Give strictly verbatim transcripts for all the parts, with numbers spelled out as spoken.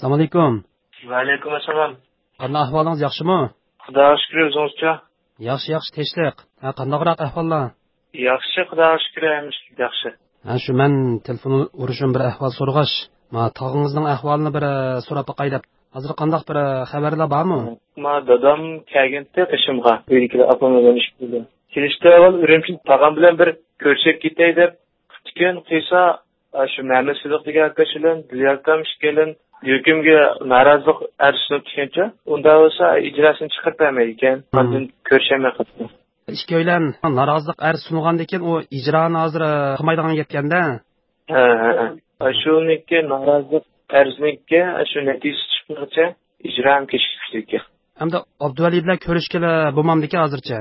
ئەسسالامۇئەلەيكۇم. ۋەئەلەيكۇم ئەسسالام. قانداق ئەھۋالىڭىز، ياخشىمۇ؟ خۇداغا شۈكۈر، ئۆزىڭىزچۇ؟ ياخشى، ياخشى، تىنچلىق. ھە، قانداقراق ئەھۋاللار؟ ياخشى، خۇداغا شۈكۈر، ھەممىشى ياخشى. ھە، شۇ مەن تېلېفون ئۇرۇشۇم بىر ئەھۋال سورىغاچ، ما تاغىڭىزنىڭ ئەھۋالىنى بىر، ئە، سوراپ باقاي دەپ. ھازىر قانداق بىر، ئە، خەۋەرلەر بارمۇ؟ ما دادام كەلگەنتى قېشىمغا، ئۆيدىكىلەر ئاپام بىلەن ئىككى بىلەن. كېلىشتە ئاۋۋال ئۈرۈمچىدە تاغام بىلەن بىر كۆرۈشۈپ كېتەي دەپ قىپتىكەن، قىلسا، ئاشۇ مەمەت سىدىق دېگەن ئاكاش بىلەن دىليار ئاكام ئىككىيلەن ھۆكۈمگە نارازىلىق ئەرز سۇنۇپتىكەنچۇ. ئۇنداق بولسا ئىجراسىنى چىقىرىپ بەرمەيدىكەن. مم. ئاندىن كۆرۈشەلمەي قاپتۇ. ئىككىيلەن نارازىلىق ئەرز سۇنغاندىكىن ئۇ ئىجرانى ھازىر، ئە، قىلمايدىغان گەپكەندە. ھە، ھە، ھە. ئاشۇنىڭكى نارازىلىق ئەرزنىڭكى ئاشۇ نەتىجىسى چىقمىغۇچە ئىجرا ھەم كېچىكىپ كېتىدىكەن. ئەمدى ئابدۇۋەلى بىلەن كۆرۈشكىلى بولمامدىكەن ھازىرچە؟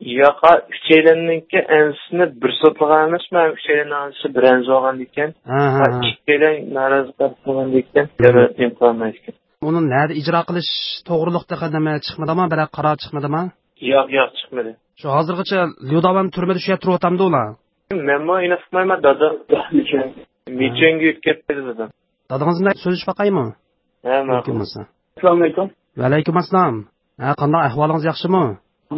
ياق، ئۈچەيلەننىڭكى ئەنزىسىنى بىر سوتلىغان ئەمەسمۇ، ئۈچەيلەننىڭ ئەنزىسى بىر ئەنزە بولغاندىكەن. ھە، ھە، ھە. ئىككىيلەن نارازى بولغاندىكەن. يەنە نېمە قىلالمايدىكەن. ئۇنى نەدە ئىجرا قىلىش توغرۇلۇق تېخى نېمە چىقمىدىما، بىرەر قارار چىقمىدىما؟ ياق، ياق، چىقمىدى. شۇ ھازىرغىچە ليۇداۋان تۈرمىدە شۇ يەردە تۇرۇۋاتامدۇ ئۇلار؟ مەنمۇ ئېنىق ئۇقمايمەن، دادا. مىچۈەنگە يۆتكەپ بەردى دادام. دادىڭىز بىلەن سۆزلىشىپ باقايمۇ؟ ھە، ماقۇل. مۇمكىن بولسا. ئەسسالامۇئەلەيكۇم. ۋەئەلەيكۇم ئەسسالام. ھە، قانداق ئەھۋالىڭىز، ياخشىمۇ؟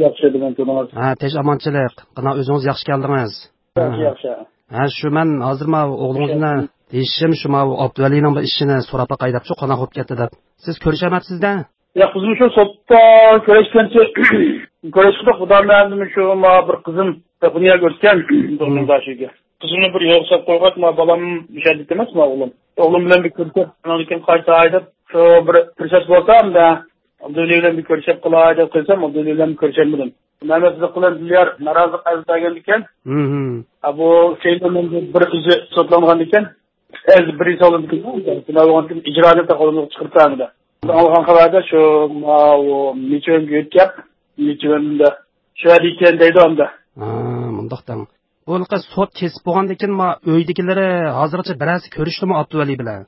ياخشى، بۈگۈن تۇردىڭىز. ھە، تىنچ ئامانچىلىق. قانداق ئۆزىڭىز ياخشى كەلدىڭىز؟ ياخشى، ھە. ياخشى. ھە، شۇ مەن ھازىر ما ئوغلىڭىز بىلەن دېيىشىم، شۇ ما ئابدۇۋەلىنىڭ بىر ئىشىنى سوراپ باقاي دەپ، شۇ قانداق بولۇپ كەتتى دەپ. سىز كۆرۈشەلمەپسىز-دە؟ ياق، بىزمۇ شۇ سوتتا كۆرۈشكەنچە كۆرۈشتۇق. خۇدا مەندىمۇ شۇ ما بىر قىزىم ياپونىيەگە ئۆتكەن، دوستۇم باشىگە. قىزىمنى بىر يولغا ساپ قويغاچ، ما بالام مۇشەددىت ئەمەس، ما ئوغلۇم. ئوغلۇم بىلەن بىر كۆرۈشۈپ، ئاندىن كېيىن قايتاي دەپ، شۇ بىر پۇرسەت بولسا، ئەمدى ئابدۇۋەلى بىلەن بىر كۆرۈشۈپ قىلاي دەپ قىلسام، ئابدۇۋەلى بىلەن بىر كۆرۈشەلمىدىم. مەمەت سىدىق بىلەن دىليار نارازىلىق ئەرز بەرگەندىكەن. ھىم. ھە، بۇ شەيتان بىر ئۆزى سوتلانغاندىكەن. ئەرز بىر سالغاندىكەن، بىنا بولغاندىكىن ئىجرانى تاقالدىغا چىقىرىپ بەرمىدى. ئاڭلىغان خەۋەردە شۇ، ماۋۇ مىچۈەنگە يۆتكەپ، مىچۈەندە شۇ يەردە ئىكەن دەيدۇ ئاندا. ھا، مۇنداق دەڭ. بۇ ھېلىقى سوت كېسىپ بولغاندىكىن، ما ئۆيدىكىلىرى ھازىرغىچە بىرەرسى كۆرۈشتىمۇ ئابدۇۋەلى بىلەن؟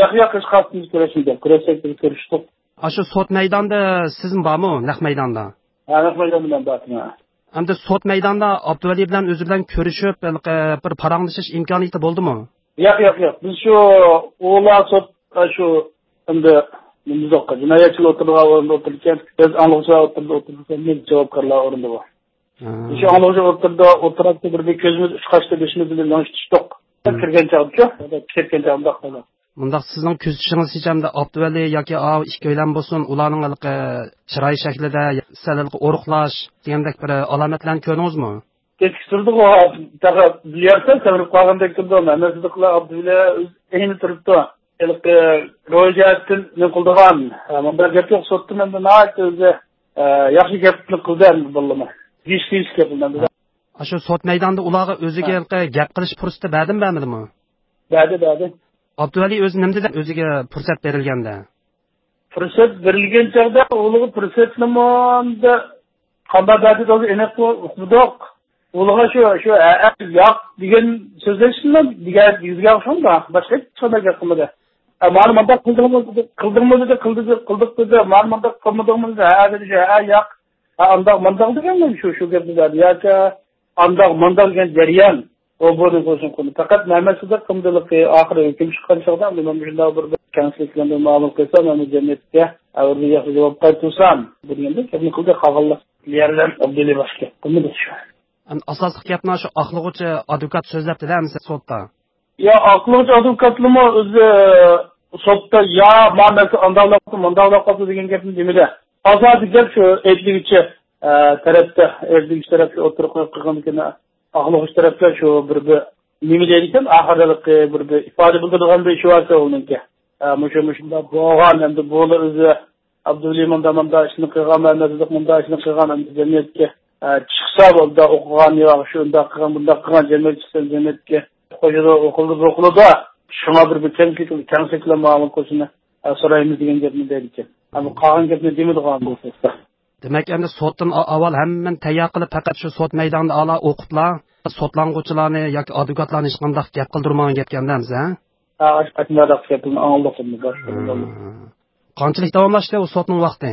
ياق، ياق، ھېچقايسىمىز كۆرۈشمىدۇق. كۆرۈشسەك بىز كۆرۈشتۇق. ئاشۇ سوت مەيدانىدا سىزمۇ بارمۇ، نەق مەيداندا؟ ھە، نەق مەيداندا مەن بارتىم، ھە. ئەمدى سوت مەيدانىدا ئابدۇۋەلى بىلەن ئۆزى بىلەن كۆرۈشۈپ، ھېلىقى بىر پاراڭلىشىش ئىمكانىيىتى بولدىمۇ؟ ياق، ياق، ياق. بىز شۇ ئۇلار سوت، شۇ ئەمدى نېمە دېدۇق، جىنايەتچىلەر ئولتۇرىدىغان ئورۇندا ئولتۇرىدىكەن، بىز ئاڭلىغۇچىلار ئولتۇرىدىغان ئورۇندا، بىز جاۋابكارلار ئورنىدا بار. ھە. شۇ ئاڭلىغۇچى ئوتتۇرىدا، ئوتتۇرىدا بىر، بىر كۆزىمىز ئۇچقاچتا بېشىمىز بىلەن لىڭشىتىشتۇق. ھە. كىرگەن چاغدىچۇ، كىرگەن چاغدا مۇنداق قىلدى. مۇنداق سىزنىڭ كۆزىتىشىڭىزچە ئەمدى ئابدۇۋەلى ياكى ئاۋۇ ئىككىيلەن بولسۇن، ئۇلارنىڭ ھېلىقى چىراي شەكلىدە، سەل ھېلىقى ئورۇقلاش دېگەندەك بىر ئالامەتلەرنى كۆردىڭىزمۇ؟ كەچكە تۇردىغۇ، تېخى بىليارسا سەۋرىپ قالغاندەك تۇردى. مەمەت سىدىقلا ئابدۇۋەلى ئۆزى ئەينى تۇرۇپتۇ. ھېلىقى روھىي جەھەتتىن نېمە قىلىدىغان، ھە، مۇنداق گەپ يوق، سوتتا مەندە ناھايىتى ئۆزى، ئە، ياخشى گەپنى قىلدى ئەمدى بالىلىرىمۇ. دېيىشلىك گەپ مەندە. ئاشۇ سوت مەيدانىدا ئۇلارغا ئۆزىگە ھە. ھېلىقى گەپ قىلىش پۇرسىتى بەردىمۇ، بەرمىدىمۇ؟ بەردى، بەردى. ئابدۇۋەلى ئۆزى نېمە دېدى ئۆزىگە پۇرسەت بېرىلگەندە؟ پۇرسەت بېرىلگەن چاغدا ئۇلارغا پۇرسەتنىمۇ ئەمدى قانداق بەردى دېدى ئېنىق ئۇقمىدۇق. ئۇلىغا شۇ، شۇ، ھە، ھە، ياق دېگەن سۆزلەشسىمۇ دېگەن يۈزگە ئوخشىمىدى. باشقا ھېچقانداق گەپ قىلمىدى. ئە، مانا مۇنداق قىلدىڭمۇ دېدى، قىلدىڭمۇ دېدى، قىلدى، قىلدۇق دېدى. مانا مۇنداق قىلمىدىڭمۇ دېدى. ھە، دېدى، ھە، ياق. ھە، ئانداق مۇنداق دېگەن شۇ، شۇ گەپنى دەردى. ياكى ئانداق مۇنداق دېگەن جەريان. ئۇ بۇنى قىلسۇن قىلدى. پەقەت مەمەت سىدىق قىمدىلىقى ئاخىرى ھۆكۈم چىققان چاغدا، مەن مۇشۇنداق بىر، بىر كەڭچىلىك بىلەن بىر مۇئامىلە قىلسام، مەن جەمئىيەتكە بىر ياخشى جاۋاب قايتۇرسام، بۇ دېگەندەك گەپنى قىلدى. قالغانلار يەرلەر ئابدۇلى باشقا قىلمىدى شۇ. ئەمدى ئاساسلىق گەپنى شۇ ئاقلىغۇچى ئادۋوكات سۆزلەپتىدە ئەمىسە سوتتا. يا، ئاقلىغۇچى ئادۋوكاتلىمۇ ئۆزى سوتتا، يا، ما مەسىلە ئانداقلاپ قاپتۇ، مۇنداقلاپ قاپتۇ دېگەن گەپنى دېمىدى. ئاساسىي گەپ شۇ ئەيىبلىگۈچى، ئە، تەرەپتە، ئەيىبلىگۈچى تەرەپكە ئوتتۇرىغا قويۇپ قىلغاندىكىن، ئاقلىغۇچى تەرەپلەر شۇ بىر، بىر نېمە دەيدىكەن، ئاخىرىلىقى بىر، بىر ئىپادە بىلدۈرىدىغان بىر ئىشى باركەن ئۇنىڭكى. ئە، مۇشۇ، مۇشۇنداق بولغان، ئەمدى بۇلا ئۆزى ئابدۇلى مۇنداق، مۇنداق ئىشنى قىلغان، مەمەت سىدىق مۇنداق ئىشنى قىلغان، ئەمدى جەمئىيەتكە، ئە، چىقسا بولدى، ئوقۇغان ياق، شۇنداق قىلغان، بۇنداق قىلغان، جەمئىيەت چىقسا جەمئىيەتكە قوشىدۇ، ئوقۇلدى، بوقۇلىدۇ. شۇڭا بىر، بىر كەڭچىلىك، كەڭچىلىك بىلەن مۇئامىلە قىلىشنى، ئە، سورايمىز دېگەن گەپنى دەيدىكەن. ئەمما قالغان گەپنى دېمىدىغان بولسا. دېمەك، ئەمدى سوتتىن ئا-، ئاۋۋال ھەممىنى تەييار قىلىپ، پەقەت شۇ سوت مەيدانىدا ئالا ئوقۇپلا، سوتلانغۇچىلارنى ياكى ئادۋوكاتلارنى ھېچقانداق گەپ قىلدۇرمىغان گەپكەن-دە ئەمىسە، ھە؟ ھە، ئاشۇ قېتىملاردا گەپنى ئاڭلىدۇق ئەمدى، باشقا بىر. ھە. قانچىلىك داۋاملاشتى ئۇ سوتنىڭ ۋاقتى؟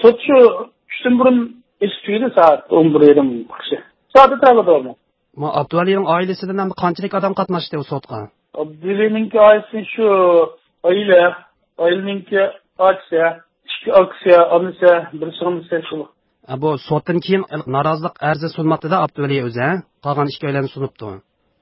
سوت شۇ چۈشتىن بۇرۇن ئېچىپ تۈگىدى، سائەت ئون بىر يېرىم قىشى. سائەت ئەتراپىدا بولدى. ما ئابدۇۋەلىنىڭ ئائىلىسىدىن ھەم قانچىلىك ئادەم قاتناشتى ئۇ سوتقا؟ ئابدۇۋەلىنىڭكى ئائىلىسى شۇ ئائىلە، ئائىلىنىڭكى ئاچىسى، ئىككى ئاكىسى، ئانىسى، بىر سىڭلىسى شۇ. ئە، بۇ سوتتىن كېيىن نارازىلىق ئەرزى سۇنماپتۇ-دە ئابدۇۋەلى ئۆزى، ھە؟ قالغان ئىككىيلەننى سۇنۇپتۇ.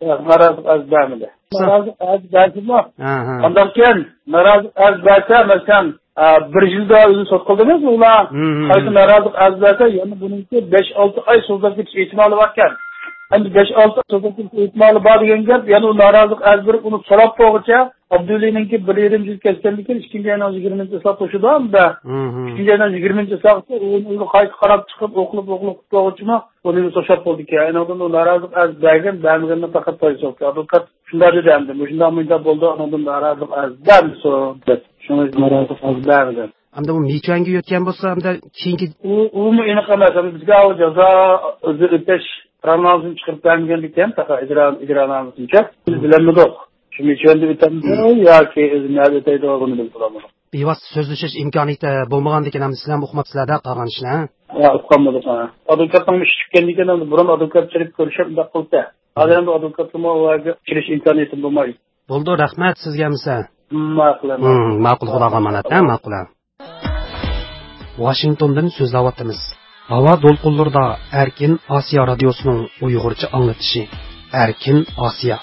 ياق، نارازىلىق ئەرز بەرمىدى. سا- نارازىلىق ئەرز بەرسىمۇ؟ ھە، ھە. ئانداق كېيىن نارازىلىق ئەرز بەرسە، مەسىلەن، ئە، بىر يىلدا ئۆزى سوت قىلدىمىز ئۇلار. ھە، ھە، قايتا ھە. نارازىلىق ئەرز بەرسە، يەنە بۇنىڭكى بەش-ئالتە ئاي سوزۇلۇپ كېتىش ئېھتىمالى باركەن. ئەمدى بەش-ئالتە ئاي سوزۇلۇپ كېتىش ئېھتىمالى بار دېگەن گەپ، يەنە ئۇ نارازىلىق ئەرز بېرىپ ئۇنى سوراپ بولغۇچە، ئابدۇۋەلىنىڭكى بىر يېرىم يىل كەتكەندىن كېيىن، ئىككىنچى ئاينىڭ يىگىرمىنچى چىسلاپ توشىدۇ ئەمدى. ھە، ھە. ئىككىنچى ئاينىڭ يىگىرمىنچى چىسلاغىچە ئۇنى ئۆزى قايتا قاراپ چىقىپ، ئوقۇلۇپ، ئوقۇلۇپ، قۇتۇلغۇچىمۇ ئۇنى توشاپ بولدىكەن. ئاندىن ئۇ نارازىلىق ئەرز بەرگەن، بەرمىگەننى پەقەت پايدىسى يوق. ئادۋوكات شۇنداق دېدى ئەمدى، مۇشۇنداق مۇنداق بولدى، ئاندىن نارازىلىق ئەرز بەرمىسۇن دەپ. شۇڭا نارازىلىق ئەرز بەرمىگەن. ئەمدى ئۇ مىچۈەنگە يۆتكەن بولسا، ئەمدى كېيىنكى ئۇ، ئۇمۇ ئېنىق ئەمەس. ئەمدى بىزگە ئۇ جازا ئۆزى ئۆتەش قارارنامىسىنى چىقىرىپ بەرمىگەندىكەن، پەقەت ئىجرا، ئىجرانامىسىنىچە. بىز بىلەلمىدۇق. شۇ مىچۈەندە ئۆتەمدۇ ياكى ئۆزى نەدە ئۆتەيدۇ، بۇنى بىز بىلەلمىدۇق. بىۋاسىتە سۆزلىشىش ئىمكانىيىتى بولمىغاندىكىن، ئەمدى سىلەرمۇ ئۇقماپسىلەر-دە قالغان ئىشنى، ھە؟ ھە، ئۇقالمىدۇق، ھە. ئادۋوكاتنىڭ ئىشى چۈشكەندىكىن، ئەمدى بۇرۇن ئادۋوكات چېلىپ كۆرۈشۈپ، مۇنداق قىلدى. ھازىر ئەمدى ئادۋوكاتنىڭمۇ ئۇ يەرگە كېلىش ئىمكانىيىتىم بولمايدۇ. بولدى، رەھمەت سىزگە ئەمىسە. ماقۇل، ھىم، ماقۇل. ماقۇل، خۇداغا ئامانەت، ھە، ماقۇل. ۋاشىنگتوندىن سۆزلەۋاتىمىز. ھاۋا دولقۇنلىرىدا ئەركىن ئاسىيا رادىيوسىنىڭ ئۇيغۇرچە ئاڭلىتىشى. ئەركىن ئاسىيا.